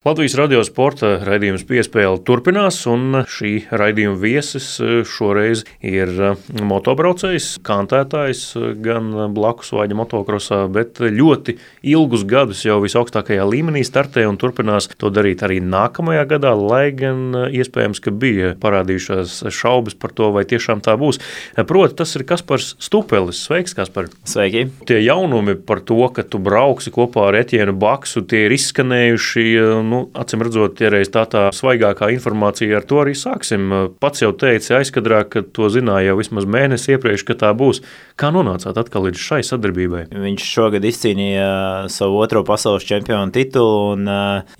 Latvijas radio sporta raidījums Piespēle turpinās, un šī raidījuma viesis šoreiz ir motobraucējs, kantētājs gan blakus vaļa motokrosā, bet ļoti ilgus gadus jau visaugstākajā līmenī startē un turpinās to darīt arī nākamajā gadā, lai gan iespējams, ka bija parādījušās šaubas par to, vai tiešām tā būs. Proti, tas ir Kaspars Stupelis. Sveiks, Kaspar! Sveiki! Tie jaunumi par to, ka tu brauksi kopā ar Etienu Baksu, tie ir izskanējuši. Acīm redzot, iereiz tā svaigākā informācija, ar to arī sāksim. Pats jau teici aizkadrā, ka to zināja jau vismaz mēnesi iepriekš, ka tā būs. Kā nonācāt atkal līdz šai sadarbībai? Viņš šogad izcīnīja savu otro pasaules čempionu titulu, un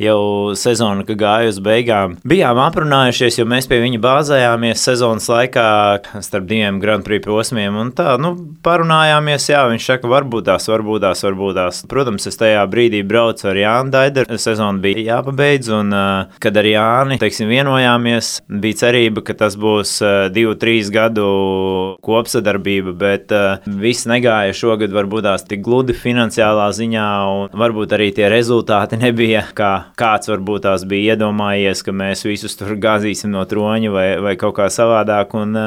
jau sezona, ka gāja uz beigām. Bijām aprunājušies, jo mēs pie viņa bāzējāmies sezonas laikā starp diviem Grand Prix posmiem, un tā, parunājāmies, jā, viņš saka, varbūt tās. Protams, es tajā brīdī braucu ar Jānu Daideru, sezona bija jāpabeidz, un kad ar Jāni, vienojāmies, bija cerība, ka tas būs 2-3 gadu kopsadarbība, bet viss negāja šogad varbūt tās tik gludi finansiālā ziņā, un varbūt arī tie rezultāti nebija, kā kāds varbūt tās bija iedomājies, ka mēs visus tur gāzīsim no troņa vai kaut kā savādāk, un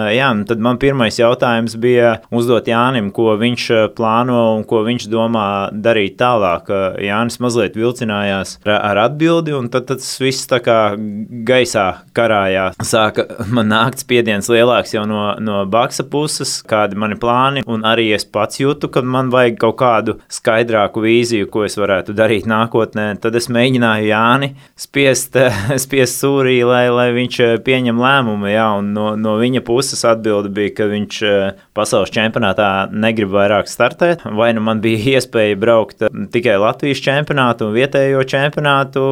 tad man pirmais jautājums bija uzdot Jānim, ko viņš plāno un ko viņš domā darīt tālāk. Jānis mazliet vilcinājās ar atbildi, un tad tas viss tā kā gaisā karājā. Sāka man nākt spiediens lielāks jau no Baksa puses, kādi mani plāni, un arī es pats jūtu, ka man vajag kaut kādu skaidrāku vīziju, ko es varētu darīt nākotnē. Tad es mēģināju Jāni spiest sūrī, lai viņš pieņem lēmumu, un no viņa puses atbilde bija, ka viņš pasaules čempionātā negrib vairāk startēt, vai nu man bija iespēja braukt tikai Latvijas čempionātu un vietējo čempionātu.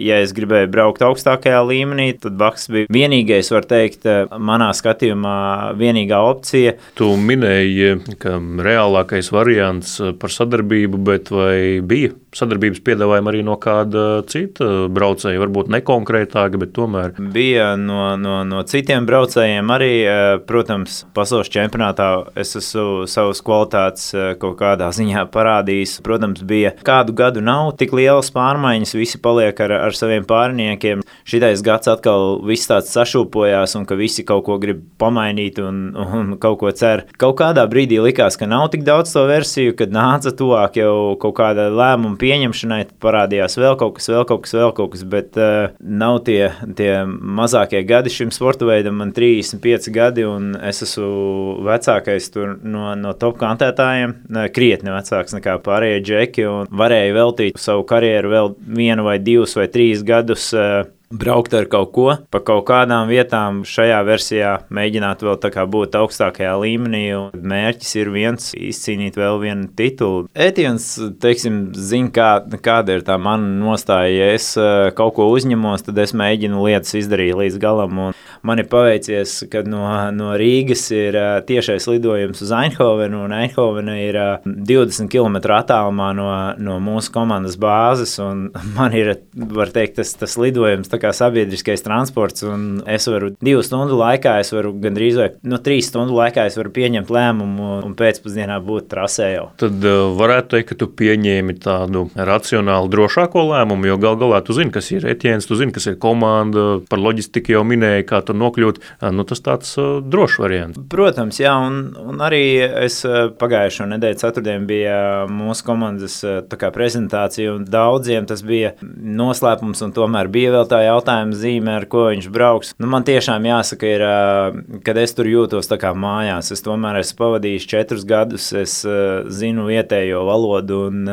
Ja es gribēju braukt augstākajā līmenī, tad Baks bija vienīgais, var teikt, manā skatījumā vienīgā opcija. Tu minēji, ka reālākais variants par sadarbību, bet vai bija sadarbības piedāvājumi arī no kāda cita braucēja, varbūt nekonkrētāka, bet tomēr? Bija no citiem braucējiem arī, protams, pasaules čempionātā es esmu savas kvalitātes kaut kādā ziņā parādījis. Protams, bija kādu gadu nav tik lielas pārmaiņas, visi paliek ar saviem pārniekiem. Šitais gads atkal viss tāds sašūpojās, un ka visi kaut ko grib pamainīt un kaut ko cer. Kaut kādā brīdī likās, ka nav tik daudz to versiju, kad nāca tuvāk jau kaut kāda lēmuma pieņemšanai, tad parādījās vēl kaut kas, bet nav tie mazākie gadi šim sporta veidam. Man 35 gadi, un es esmu vecākais tur no top kantētājiem, krietni vecāks nekā pārējie džeki, un varēju veltīt savu karjeru vēl 1 vai 2 vai 3 gadus braukt ar kaut ko, pa kaut kādām vietām šajā versijā mēģināt vēl tā kā būt augstākajā līmenī, un mērķis ir viens izcīnīt vēl vienu titulu. Etiens, zina, kāda ir tā mana nostāja. Ja es kaut ko uzņemos, tad es mēģinu lietas izdarīt līdz galam, un man ir paveicies, ka no Rīgas ir tiešais lidojums uz Eindhovenu, un Eindhovena ir 20 km attālumā no mūsu komandas bāzes, un man ir, var teikt, tas lidojums kā sabiedriskais transports, un es varu 2 stundu laikā, es varu gandrīz vai 3 stundu laikā es varu pieņemt lēmumu un pēcpusdienā būt trasē jau. Tad varētu teikt, ka tu pieņēmi tādu racionālu, drošāko lēmumu, jo galā tu zini, kas ir Etiens, tu zini, kas ir komanda, par loģistiku jau minēji, kā tur nokļūt. Tas tāds drošs variants. Protams, jā, un arī es pagājušo nedēļu ceturtdien bija mūsu komandas tā kā prezentācija, un daudziem tas bija noslēpums, un tomēr bija vēl tā jautājuma zīme, ar ko viņš brauks. Man tiešām jāsaka, ir, kad es tur jūtos tā kā mājās. Es tomēr esmu pavadījis 4 gadus, es zinu vietējo valodu, un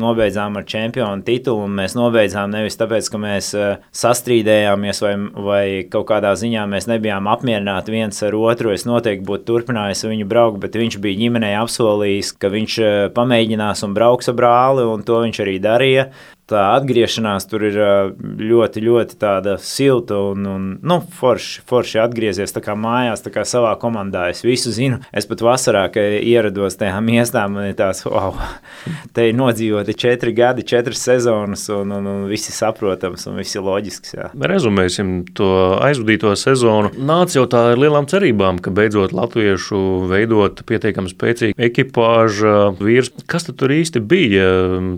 nobeidzām ar čempionu titulu, un mēs nobeidzām nevis tāpēc, ka mēs sastrīdējāmies vai kaut kādā ziņā mēs nebijām apmierināti viens ar otru. Es noteikti būtu turpinājis viņu braukt, bet viņš bija ģimenei apsolījis, ka viņš pamēģinās un brauks ar brāli, un to viņš arī darīja. Tā atgriešanās tur ir ļoti, ļoti tāda silta un forši atgriezies tā kā mājās, tā kā savā komandā. Es visu zinu. Es pat vasarā, kad ierados tajā miestā, man ir tās, te ir nodzīvoti 4 gadi, 4 sezonas, un visi saprotams un visi loģisks. Jā. Rezumēsim to aizvadīto sezonu. Nāc jau tā ar lielām cerībām, ka beidzot latviešu veidot pietiekami spēcīgu ekipāžu vīrs. Kas tad tur īsti bija?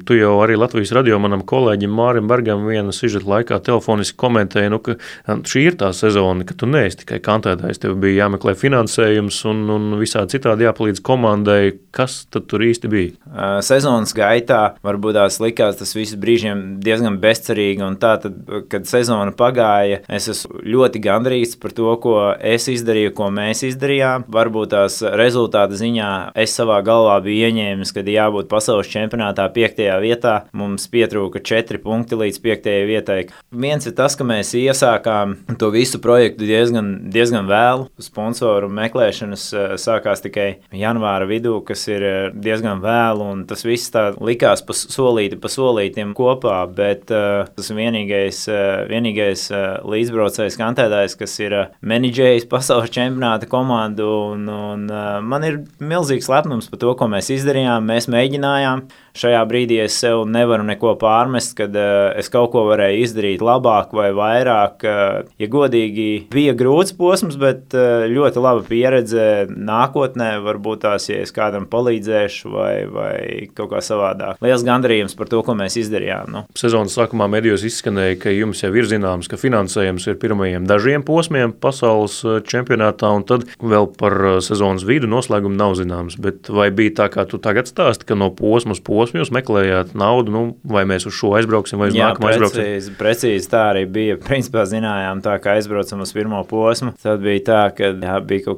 Tu jau arī Latvijas radio manam manam kolēģim Mārim Bergam viena sižeta laikā telefoniski komentēja, ka šī ir tā sezona, ka tu neesi tikai kantētājs, tev bija jāmeklē finansējums un visādi citādi jāpalīdz komandai. Kas tad tur īsti bija? Sezonas gaitā varbūt tās likās tas viss brīžiem diezgan bezcerīgi, un tā tad, kad sezona pagāja, es esmu ļoti gandrīz par to, ko es izdarīju, ko mēs izdarījām. Varbūt tās rezultāta ziņā es savā galvā biju ieņēmis, kad jābūt pasaules čempionātā 5. vietā. Mums pietrūka 4 punkti līdz 5. vietai. Viens ir tas, ka mēs iesākām to visu projektu diezgan vēlu. Sponsoru meklēšanas sākās tikai janvāra vidū, kas ir diezgan vēlu, un tas viss tā likās pa solītim kopā, bet tas vienīgais līdzbraucējs kantētājs, kas ir menedžējis pasaules čempionāta komandu, un man ir milzīgs lepnums par to, ko mēs izdarījām. Mēs mēģinājām. Šajā brīdī es sev nevaru neko pārmest, kad es kaut ko varēju izdarīt labāk vai vairāk. Ja godīgi, bija grūts posms, bet ļoti laba pieredze nākotnē. Varbūt tās, ja es kādam palīdzēšu vai kaut kā savādāk. Liels gandarījums par to, ko mēs izdarījām. Nu. Sezonas sākumā medijos izskanēja, ka jums jau ir zināms, ka finansējums ir pirmajiem dažiem posmiem pasaules čempionātā, un tad vēl par sezonas vidu noslēgumu nav zināms. Bet vai bija tā, kā tu tagad stāsti, ka no posma uz posmu jūs meklējāt naudu, vai mēs uz šo aizbrauksim, vai uz nākamo aizbrauksim? Precīzi tā arī bija. Principā zinājām tā, ka aizbraucam uz pirmo posmu. Tad bija tā, ka bija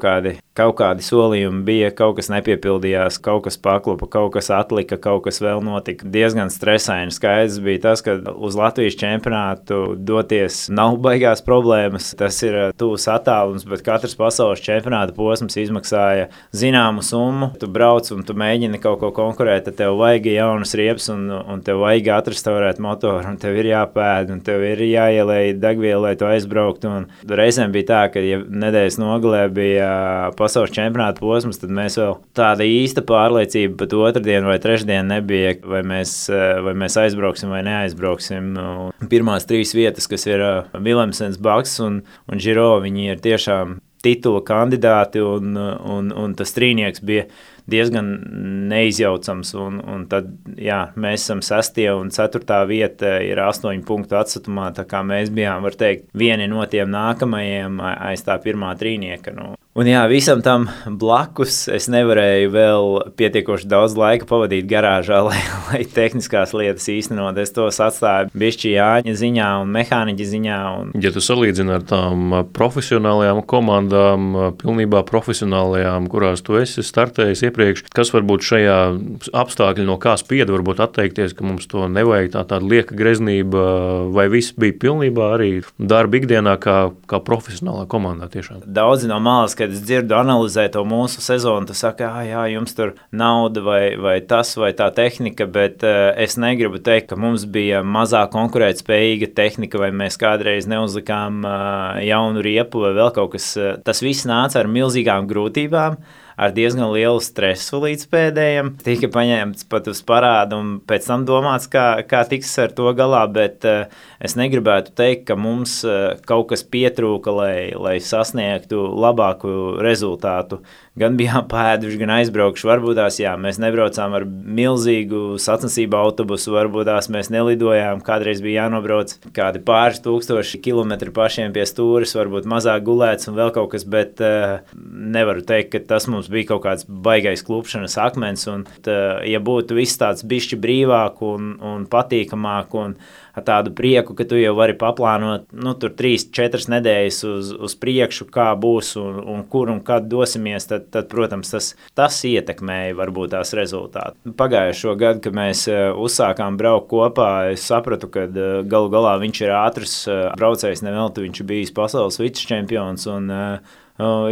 kaut kādi solījumi, bija kaut kas nepiepildījās, kaut kas paklupa, kaut kas atlika, kaut kas vēl notika. Diezgan stresaini. Skaidrs bija tas, ka uz Latvijas čempionātu doties nav baigās problēmas. Tas ir tuvs attālums, bet katrs pasaules čempionāta posms izmaksāja zināmu summu. Tu brauc un tu mēģini kaut ko konkurēt, tad tev vajag jaunas riepas un tev vajag atrestaurēt motoru, un tev ir jāpēd, un tev ir jāielej degvielu, lai tu aizbrauktu. Un reizēm bija tā, ka ja nedēļas nogalē bija pasaules čempionāta posms, tad mēs vēl tāda īsta pārliecība pat otrdienu vai trešdienu nebija, vai mēs aizbrauksim vai neaizbrauksim. Pirmās 3 vietas, kas ir Vilemsens, Baks un Giro, viņi ir tiešām titula kandidāti, un tas trīnieks bija diezgan neizjaucams, un tad, jā, mēs esam 6. un 4. vieta ir 8 punktu atsatumā, tā kā mēs bijām, var teikt, vieni no tiem nākamajiem aiz tā pirmā trīnieka. Un jā, visam tam blakus es nevarēju vēl pietiekoši daudz laika pavadīt garāžā, lai tehniskās lietas īstenot. Es tos atstāju bišķi Jāņa ziņā un mehāniķa ziņā. Ja tu salīdzini ar tām profesionālajām komandām, pilnībā profesionālajām, kurās tu esi startējis iepriekš, kas varbūt šajā apstākļi no kā spieda varbūt atteikties, ka mums to nevajag tāda lieka greznība, vai viss bija pilnībā arī darba ikdienā kā profesionālā komandā tiešām? Daudzi no malas, kad es dzirdu analizē to mūsu sezonu, tu saka, jā, jums tur nauda vai tas vai tā tehnika, bet es negribu teikt, ka mums bija mazāk konkurētspējīga tehnika, vai mēs kādreiz neuzlikām jaunu riepu vai vēl kaut kas. Tas viss nāca ar milzīgām grūtībām, ar diezgan lielu stresu līdz pēdējiem. Tika paņemts pat uz parādu un pēc tam domāts, kā tiks ar to galā, bet es negribētu teikt, ka mums kaut kas pietrūka, lai sasniegtu labāku rezultātu. Gan bijām pēduši, gan aizbraukši. Varbūt tās, jā, mēs nebraucām ar milzīgu sacensību autobusu, varbūt tās mēs nelidojām, kādreiz bija jānobrauc kādi pāris tūkstoši kilometri pašiem pie stūres, varbūt mazāk gulēts un vēl kaut kas, bet nevaru teikt, ka tas mums bija kaut kāds baigais klupšanas akmens, un ja būtu viss tāds bišķi brīvāk un patīkamāk un ar tādu prieku, ka tu jau vari paplānot, tur 3-4 nedēļas uz priekšu, kā būs un kur un kad dosimies, tad protams, tas ietekmēja varbūt tās rezultātu. Pagājušo gadu, kad mēs uzsākām braukt kopā, es sapratu, ka galu galā viņš ir ātrs braucējs, nevelti viņš bijis pasaules vicečempions, un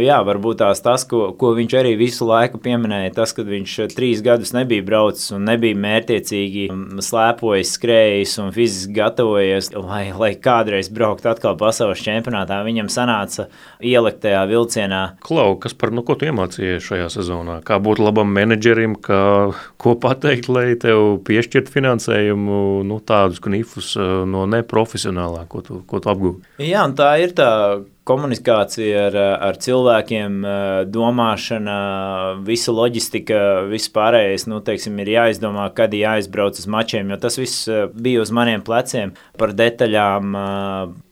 jā, varbūt tas, ko viņš arī visu laiku pieminēja, tas, kad viņš 3 gadus nebija braucis un nebija mērtiecīgi slēpojis, skrējis un fiziski gatavojies, lai kādreiz braukt atkal pasaules čempionātā. Viņam sanāca ielikt tajā vilcienā. Klau, kas ko tu iemācījies šajā sezonā? Kā būt labam menedžerim, ko pateikt, lai tev piešķirt finansējumu, tādus knifus no neprofesionālā, ko tu apgūvi? Jā, un tā ir tā komunikācija ar cilvēkiem, domāšana, visa loģistika, viss pārējais, teiksim, ir jāizdomā, kad jāizbrauc uz mačiem, jo tas viss bija uz maniem pleciem par detaļām,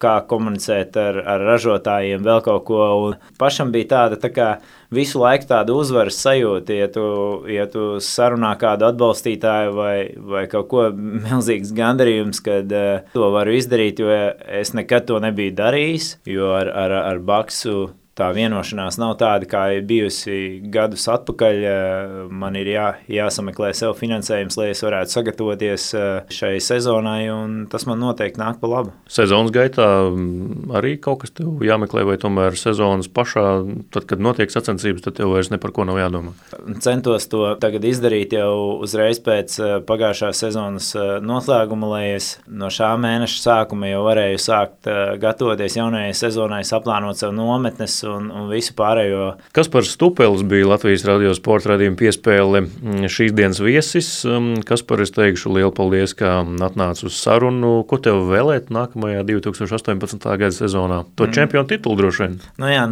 kā komunicēt ar ražotājiem, vēl kaut ko. Un pašam bija tāda tā kā visu laiku tāda uzvaras sajūta, ja tu sarunā kādu atbalstītāju vai kaut ko milzīgs gandarījums, kad to varu izdarīt, jo es nekad to nebiju darījis, jo ar Baksu tā vienošanās nav tāda, kā ir bijusi gadus atpakaļ. Man ir jāsameklē sev finansējums, lai es varētu sagatavoties šai sezonai, un tas man noteikti nāk pa labu. Sezonas gaitā arī kaut kas tev jāmeklē, vai tomēr sezonas pašā, tad, kad notiek sacensības, tad tev vairs ne par ko nav jādomā? Centos to tagad izdarīt jau uzreiz pēc pagājušās sezonas noslēguma, lai es no šā mēneša sākuma jau varēju sākt gatavoties jaunajai sezonai, saplānot sev nometnes un visu pārējo. Kaspars Stupelis bija Latvijas radio sporta raidījuma piespēle šīs dienas viesis. Kaspar, es teikšu lielu paldies, ka atnāc uz sarunu. Ko tev vēlēt nākamajā 2018. gada sezonā? To čempionu titulu droši vien.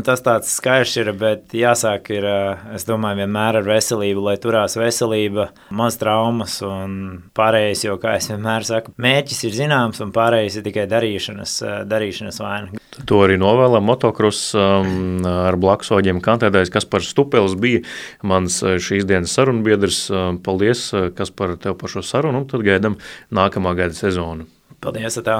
Tas tāds skaidrs ir, bet jāsāk ir, es domāju, vienmēr ar veselību, lai turās veselība, maz traumas un pārējais, jo, kā es vienmēr saku, mērķis ir zināms un pārējais ir tikai darīšanas vaina. To arī novēlam motokross ar blaksoģiem kantētājs Kaspars Stupelis bija mans šīs dienas sarunbiedrs. Paldies, Kaspar, tev par šo sarunu, un tad gaidam nākamā gada sezonu. Paldies, tā!